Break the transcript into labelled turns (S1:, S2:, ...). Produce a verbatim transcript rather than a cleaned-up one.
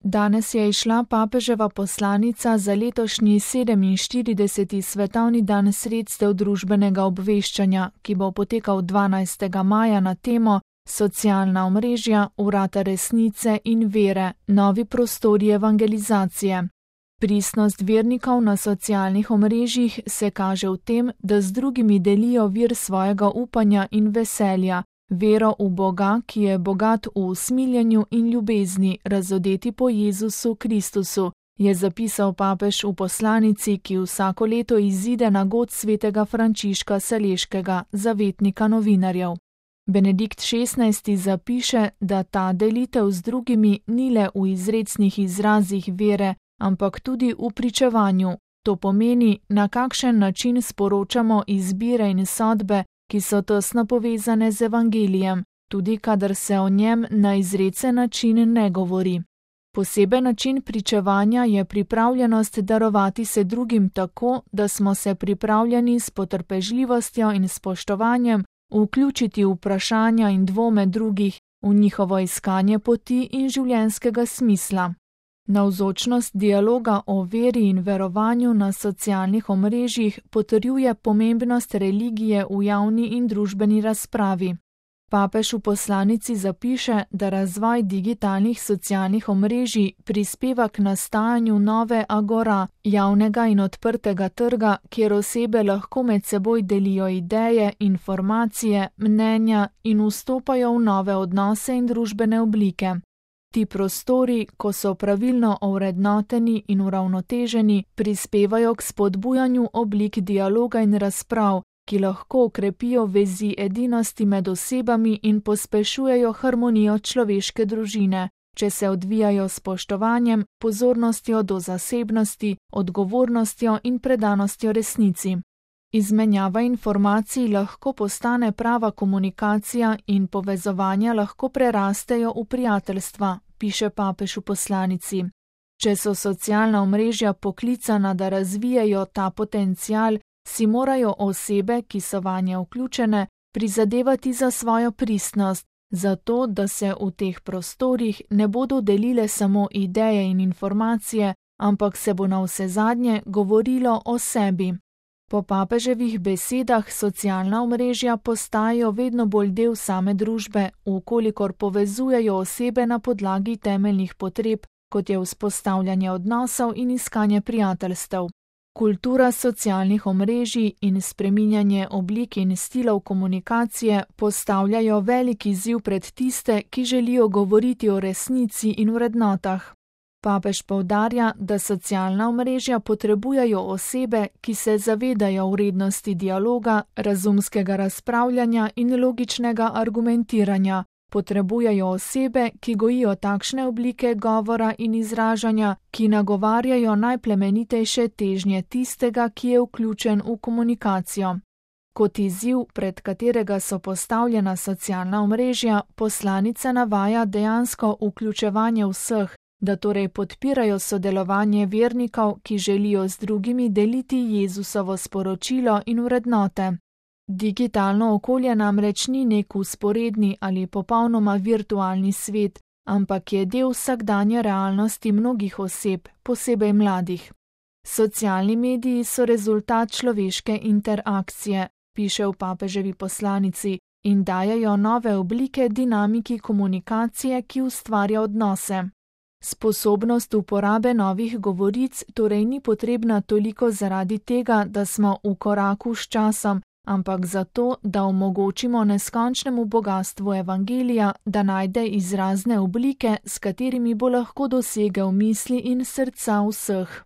S1: Danes je izšla papeževa poslanica za letošnji sedeminštirideseti svetovni dan sredstev družbenega obveščanja, ki bo potekal dvanajstega maja na temo Socialna omrežja, vrata resnice in vere, novi prostori evangelizacije. Pristnost vernikov na socialnih omrežjih se kaže v tem, da z drugimi delijo vir svojega upanja in veselja, vero v Boga, ki je bogat v usmiljenju in ljubezni, razodeti po Jezusu Kristusu, je zapisal papež v poslanici, ki vsako leto izide na god svetega Frančiška Saleškega, zavetnika novinarjev. Benedikt šestnajsti zapiše, da ta delitev z drugimi ni le v izrecnih izrazih vere, ampak tudi v pričevanju. To pomeni, na kakšen način sporočamo izbire in sodbe, ki so tesno povezane z evangelijem, tudi kadar se o njem na izrecen način ne govori. Poseben način pričevanja je pripravljenost darovati se drugim tako, da smo se pripravljeni s potrpežljivostjo in spoštovanjem vključiti v vprašanja in dvome drugih, v njihovo iskanje poti in življenjskega smisla. Navzočnost dialoga o veri in verovanju na socialnih omrežjih potrjuje pomembnost religije v javni in družbeni razpravi. Papež v poslanici zapiše, da razvoj digitalnih socialnih omrežij prispeva k nastajanju nove agora, javnega in odprtega trga, kjer osebe lahko med seboj delijo ideje, informacije, mnenja in vstopajo v nove odnose in družbene oblike. Ti prostori, ko so pravilno ovrednoteni in uravnoteženi, prispevajo k spodbujanju oblik dialoga in razprav, ki lahko okrepijo vezi edinosti med osebami in pospešujejo harmonijo človeške družine, če se odvijajo s spoštovanjem, pozornostjo do zasebnosti, odgovornostjo in predanostjo resnici. Izmenjava informacij lahko postane prava komunikacija in povezovanja lahko prerastejo v prijateljstva, piše papež v poslanici. Če so socialna omrežja poklicana, da razvijajo ta potencial, si morajo osebe, ki so vanje vključene, prizadevati za svojo pristnost, zato da se v teh prostorih ne bodo delile samo ideje in informacije, ampak se bo navsezadnje govorilo o sebi. Po papeževih besedah socialna omrežja postajajo vedno bolj del same družbe, vkolikor povezujejo osebe na podlagi temeljnih potreb, kot je vzpostavljanje odnosov in iskanje prijateljstev. Kultura socialnih omrežij in spreminjanje oblik in stilov komunikacije postavljajo velik izziv pred tiste, ki želijo govoriti o resnici in vrednotah. Papež poudarja, da socialna omrežja potrebujejo osebe, ki se zavedajo vrednosti dialoga, razumskega razpravljanja in logičnega argumentiranja. Potrebujejo osebe, ki gojijo takšne oblike govora in izražanja, ki nagovarjajo najplemenitejše težnje tistega, ki je vključen v komunikacijo. Kot izziv, pred katerega so postavljena socialna omrežja, poslanica navaja dejansko vključevanje vseh, da torej podpirajo sodelovanje vernikov, ki želijo z drugimi deliti Jezusovo sporočilo in vrednote. Digitalno okolje namreč ni nek vzporedni ali popolnoma virtualni svet, ampak je del vsakdanje realnosti mnogih oseb, posebej mladih. Socialni mediji so rezultat človeške interakcije, piše v papeževi poslanici, in dajejo nove oblike dinamiki komunikacije, ki ustvarja odnose. Sposobnost uporabe novih govoric torej ni potrebna toliko zaradi tega, da smo v koraku s časom, ampak zato, da omogočimo neskončnemu bogastvu evangelija, da najde izrazne oblike, s katerimi bo lahko dosegel misli in srca vseh.